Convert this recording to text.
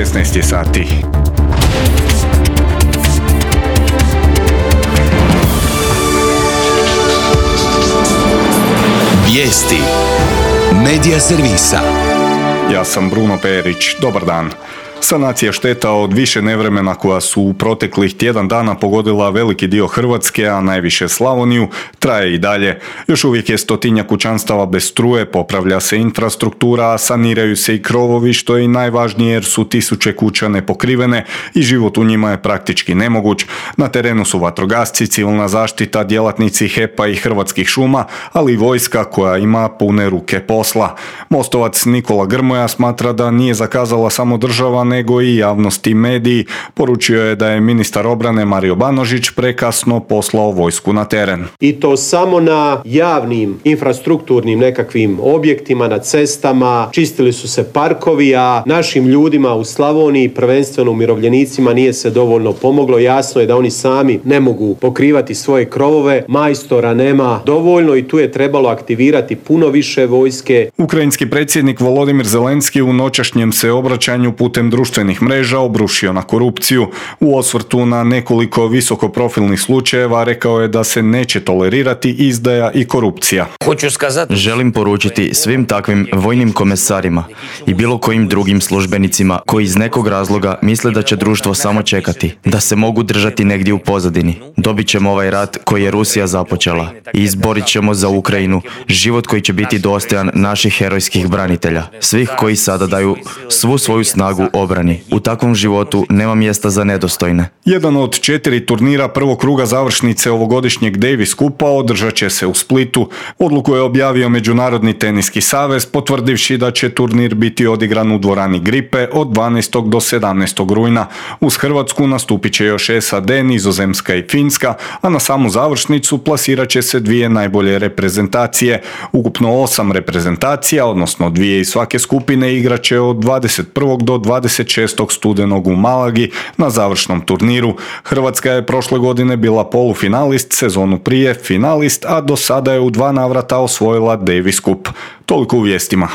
16 sati. Vijesti Medija servisa. Ja sam Bruno Perić. Dobar dan. Sanacija šteta od više nevremena koja su u proteklih tjedan dana pogodila veliki dio Hrvatske, a najviše Slavoniju, traje i dalje. Još uvijek je 100-tinjak kućanstava bez struje, popravlja se infrastruktura, a saniraju se i krovovi, što je i najvažnije jer su tisuće kuća nepokrivene i život u njima je praktički nemoguć. Na terenu su vatrogasci, civilna zaštita, djelatnici HEP-a i Hrvatskih šuma, ali i vojska koja ima pune ruke posla. Mostovac Nikola Grmoja smatra da nije zakazala samo država, nego i javnost i mediji. Poručio je da je ministar obrane Mario Banožić prekasno poslao vojsku na teren. I to samo na javnim infrastrukturnim nekakvim objektima, na cestama, čistili su se parkovi, a našim ljudima u Slavoniji, prvenstveno umirovljenicima, nije se dovoljno pomoglo. Jasno je da oni sami ne mogu pokrivati svoje krovove, majstora nema dovoljno i tu je trebalo aktivirati puno više vojske. Ukrajinski predsjednik Volodimir Zelenski u noćašnjem se obraćanju putem društvenih mreža obrušio na korupciju. U osvrtu na nekoliko visokoprofilnih slučajeva rekao je da se neće tolerirati izdaja i korupcija. Želim poručiti svim takvim vojnim komesarima i bilo kojim drugim službenicima koji iz nekog razloga misle da će društvo samo čekati, da se mogu držati negdje u pozadini. Dobit ćemo ovaj rat koji je Rusija započela i izborit ćemo za Ukrajinu život koji će biti dostojan naših herojskih branitelja, svih koji sada daju svu svoju snagu obrani. U takvom životu nema mjesta za nedostojne. Jedan od 4 turnira prvog kruga završnice ovogodišnjeg Davis Kupa održat će se u Splitu. Odluku je objavio Međunarodni teniski savez, potvrdivši da će turnir biti odigran u dvorani Gripe od 12. do 17. rujna. Uz Hrvatsku nastupit će još SAD, Nizozemska i Finska, a na samu završnicu plasirat će se 2 najbolje reprezentacije. Ukupno 8 reprezentacija, odnosno 2 iz svake skupine, igrat će od 21. do 26. studenog u Malagi na završnom turniru. Hrvatska je prošle godine bila polufinalist, sezonu prije finalist, a do sada je u 2 navrata osvojila Davis Cup. Toliko u vijestima.